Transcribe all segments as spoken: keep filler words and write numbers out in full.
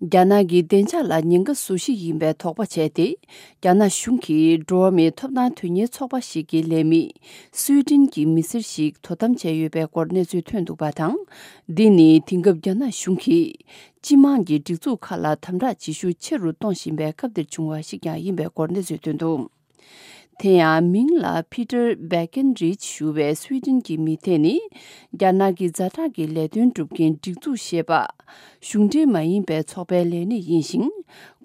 རྒྱ་ནག་གི་བདེ་འཇགས་ལ་ཉེན་ཁ་བཟོ་གཞི་ཡིན་པའི་དོགས་པ་བྱས་ཏེ། རྒྱ་ནག་གཞུང་གིས་འགྲོ་བ་མིའི་ཐོབ་ཐང་དོན་གཉེར་ཚོགས་པ་ཞིག་གི་ལས་མི་སུའེ་ཏེན་གྱི་མི་སེར་ཞིག་དོ་དམ་བྱས་ཡོད་པའི་སྐོར་གནས་ཚུལ་ཐོན་འདུག་པ་དང་། འདི་ནི་དེང་སྐབས་རྒྱ་ནག་གཞུང་གིས་སྤྱི་དམངས་ཀྱི་སྒྲིག་འཛུགས་ཁག་ལ་དམ་དྲག་བྱེད་ཤུགས་ཆེ་རུ་གཏོང་བཞིན་པའི་སྐབས་འདིར་བྱུང་བ་ཞིག་ཀྱང་ཡིན་པའི་སྐོར་གནས་ཚུལ་ཐོན་འདུག་དེ་ཡང་མིང་ལ་ཕི་ཏར་བྷེ་ཀེན་རིཆ་ཞུ་བའི་སུའེ་ཏེན་གྱི་མི་དེ་ནི། རྒྱ་ནག་གི་ཛ་དྲག་གི་ལས་དོན་སྒྲུབ་མཁན་སྒྲིག་འཛུགས་ཞེས་པ། གཞུང་འབྲེལ་མ་ཡིན་པའི་ཚོགས་པའི་ལས་སྣེ་ཡིན་ཞིང་།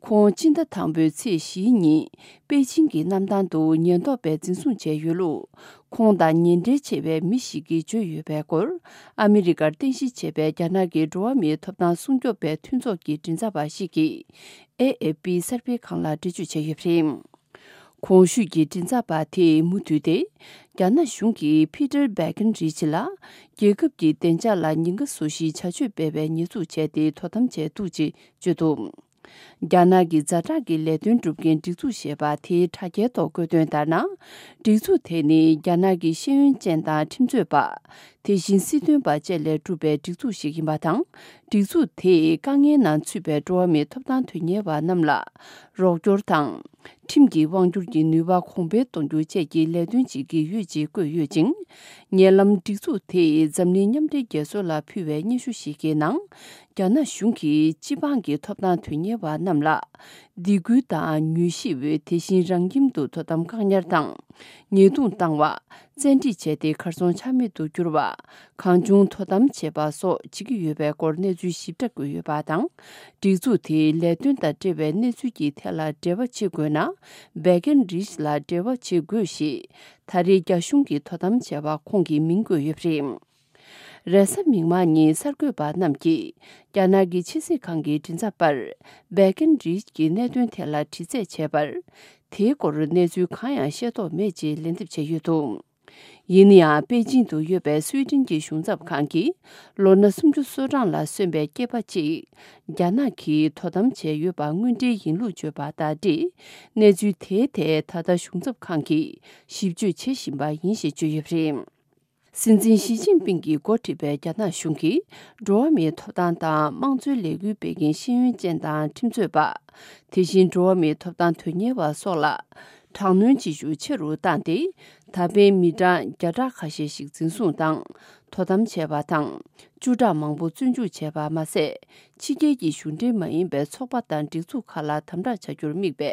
ཁོང་སྤྱི་ཟླ་དང་པོའི་ཚེས་བཞིའི་ཉིན་པེ་ཅིང་གི་གནམ་ཐང་དུ་ཉེན་རྟོག་པས་འཛིན་བཟུང་བྱས་ཡོད་ལུགས། ཁོང་དང་ཉེ་འབྲེལ་ཆེ་བའི་མི་ཞིག་གིས་བརྗོད་ཡོད་པའི་སྐོར། ཨ་མི་རི་ཀར་རྟེན་གཞི་བྱས་པའི་རྒྱ་ནག་གི་འགྲོ་བ་མིའི་ཐོབ་ཐང་སྲུང་སྐྱོབ་པའི་མཐུན་ཚོགས་ཀྱི་མགྲིན་ཚབ་པ་ཞིག་གིས། ཨེ་ཨེ་པི་གསར་སྤེལ་ཁང་ལ་འགྲེལ་བརྗོད་བྱས་ཡོད་པ་རེད། གོང་ཞུས་ཀྱི་མགྲིན་ཚབ་པ་དེས་མུ་མཐུད་དེ། རྒྱ་ནག་གཞུང་གིས་ཕི་ཏར་བྷེ་ཀེན་རིཆ་ལ། རྒྱལ་ཁབ་ཀྱི་བདེ་འཇགས་ལ་ཉེན་ཁ་བཟོ་གཞིའི་བྱ་སྤྱོད་སྤེལ་བའི་ཉེས་འཛུགས་བྱས་ཏེ་དོ་དམ་བྱས་འདུག་ཅེས་བརྗོད་འདུག་རྒྱ་ནག་གི་ཛ་དྲག་གི་ལས་དོན་སྒྲུབ་མཁན་སྒྲིག་འཛུགས་ཞེས་པ་དེའི་དྲ་རྒྱའི་ཐོག་བཀོད་དོན་ལྟར་ན། སྒྲིག་འཛུགས་དེ་ནི་རྒྱ་ནག་གི་ཤེས་ཡོན་ཅན་དང་ཁྲིམས་རྩོད་པ། དེ་བཞིན་སྲིད་དོན་པ་བཅས་ལས་གྲུབ་པའི་སྒྲིག་འཛུགས་ཤིག་ཡིན་པ་དང་། སྒྲིག་འཛུགས་དེས་དཀའ་ངལ་ནང་ཚུད་པའི་འགྲོ་བ་མིའི་ཐོབ་ཐང་དོན་གཉེར་བ་རྣམས་ལ་རོགས་སྐྱོར་དང་། ཁྲིམས་ཀྱི་དབང་སྒྱུར་གྱི་ནུས་པ་གོང་འཕེལ་གཏོང་རྒྱུ་བཅས་ཀྱི་ལས་དོན་བྱེད་ཀྱི་ཡོད་ཅེས་བཀོད་ཡོད་ཅིང་། ཉེ་ལམ་སྒྲིག་འཛུགས་དེས་འཛམ་གླིང་མཉམ་འབྲེལ་རྒྱལ་ཚོགས་ལ་ཕུལ་བའི་སྙན་ཞུ་ཞིག་གི་ནང་། རྒྱ་ནག་གཞུང་གིས་སྤྱི་འབངས་ཀྱི་ཐོབ་ཐང་དོན་གཉེར་བ་རྣམས་ལ། སྡིགས་སྐུལ་དང་མྱུལ་ཞིབ། དེ་བཞིན་རང་ཁྱིམ་དུ་དོ་དམ་བཀག་ཉར་དང་། ཉེས་རྡུང་བཏང་བ། བཙན་ཁྲིད་བྱས་ཏེ་གར་སོང་ཆ་མེད་དུ་གྱུར་བ། གང་བྱུང་དོ་དམ་བྱེད་པ་སོགས་བྱེད་ཀྱི་ཡོད་པའི་སྐོར་གནས་ཚུལ་ཞིབ་ཕྲ་བཀོད་ཡོད་པ་དང་། སྒྲིག་འཛུགས་དེའི་ལས་དོན་དང་འབྲེལ་བའི་གནས་ཚུལ་གྱི་ཐད་ལ་འབྲེལ་བ་བྱེད་དགོས་ན། བྷེ་ཀེན་རིཆ་ལ་འབྲེལ་བ་བྱེད་དགོས་ཞེས། ད་རེས་རྒྱ་གཞུང་གིས་དོ་དམ་བྱས་པ་ཁོང་གི་མིང་བཀོད་ཡོད་པ་རེད། རེས་གཟའ་མིག་དམར་ཉིན་གསར་འགོད་པ་རྣམས་ཀྱིས། རྒྱ་ནག་གི་ཕྱི་སྲིད་ཁང་གི་མགྲིན་ཚབ་པར། བྷེ་ཀེན་རིཆ་གི་གནད་དོན་ཐད་ལ་དྲི་རྩད་བྱས་པར། དེའི་སྐོར་གནས་ཚུལ་གང་ཡང་ཤེས་རྟོགས་མེད་ཅེས་ལན་འདེབས་བྱས་ཡོད་འདུག་ཡིན་ན་ཡང་པེ་ཅིང་དུ་ཡོད་པའི་སུའེ་ཏེན་གྱི་གཞུང་ཚབ་ཁང་གིས། ལོ་ན་སུམ་ཅུ་སོ་གྲངས་ལ་སོན་པའི་སྐྱེས་པ་གཅིག་རྒྱ་ནག་གིས་དོ་དམ་བྱས་ཡོད་པ་དངོས་འབྲེལ་ཡིན་ལུགས་བརྗོད་པ་ལྟར་ཏེ། གནས་ཚུལ་དེའི་ཐད་ད་ལྟ་གཞུང་ཚབ་ཁང་གིས་ཞིབ་དཔྱོད་བྱེད་བཞིན་པ་ཡིན་ཞེས་བརྗོད་ཡོད་པ་རེད། སྲིད་འཛིན་ཞི་ཅིན་ཕིང་གིས་འགོ་ཁྲིད་པའི་རྒྱ་ནག་གཞུང་གིས། འགྲོ་བ་མིའི་ཐོབ་ཐང་དང་དམངས་གཙོའི་ལས་འགུལ་སྤེལ་མཁན་ཤེས་ཡོན་ཅན་དང་ཁྲིམས་རྩོད་པ། དེ་བཞིན་འགྲོ་བ་མིའི་ཐོབ་ཐང་དོན་གཉེར་བ་སོགས་ལ། དྲག་གནོན་བྱེད་ཤུགས་ཆེ་རུ་བཏང་སྟེ། ད་ཕན་མི་གྲངས་བརྒྱ་ཕྲག་ཁ་ཤས་ཤིག་འཛིན་བཟུང་དང་། དོ་དམ་བྱས་པ་དང་། བཅུ་ཕྲག་མང་པོ་བཙོན་འཇུག་བྱས་པ་མ་ཟད། ཕྱི་རྒྱལ་གྱི་གཞུང་འབྲེལ་མ་ཡིན་པའི་ཚོགས་པ་དང་སྒྲིག་འཛུགས་ཁག་ལ་དམ་དྲག་བྱ་རྒྱུར་དམིགས་པའི་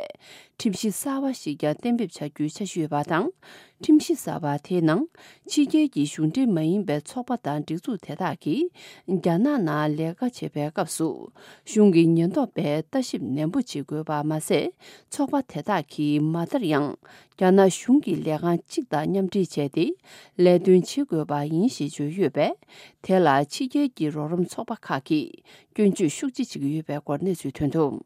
ཁྲིམས་གཞི་གསར་བ་ཞིག་ཀྱང་གཏན་འབེབས་བྱ་རྒྱུའི་འཆར་གཞི་ཡོད་པ་དང་། ཁྲིམས་གཞི་གསར་བ་དེའི་ནང་། ཕྱི་རྒྱལ་གྱི་གཞུང་འབྲེལ་མ་ཡིན་པའི་ཚོགས་པ་དང་སྒྲིག་འཛུགས་དེ་དག་གིས། རྒྱ་ནག་ནང་ལས་ཀ་བྱེད་པའི་སྐབས་སུ། གཞུང་གི་ཉེན་རྟོག་པས་ལྟ་ཞིབ་ནན་པོ་བྱེད་དགོས་པ་མ་ཟད། ཚོགས་པ་དེ་དག་གིས་མ་མཐར་ཡང་། རྒྱ་ནག་གཞུང་གི་ལས་ཁང་གཅིག་དང་མཉམ་འབྲེལ་བྱས་ཏེ། ལས་དོན་བྱེད་དགོས་པ་ཡིན་ཞེས་བརྗོད་ཡོད་པས། དེ་ལ་ཕྱི་རྒྱལ་གྱི་རོགས་རམ་ཚོགས་པ་ཁག་གིས། སྐྱོན་བརྗོད་ཤུགས་ཆེ་བྱེད་ཀྱི་ཡོད་པའི་སྐོར་གནས་ཚུལ་ཐོན་འདུག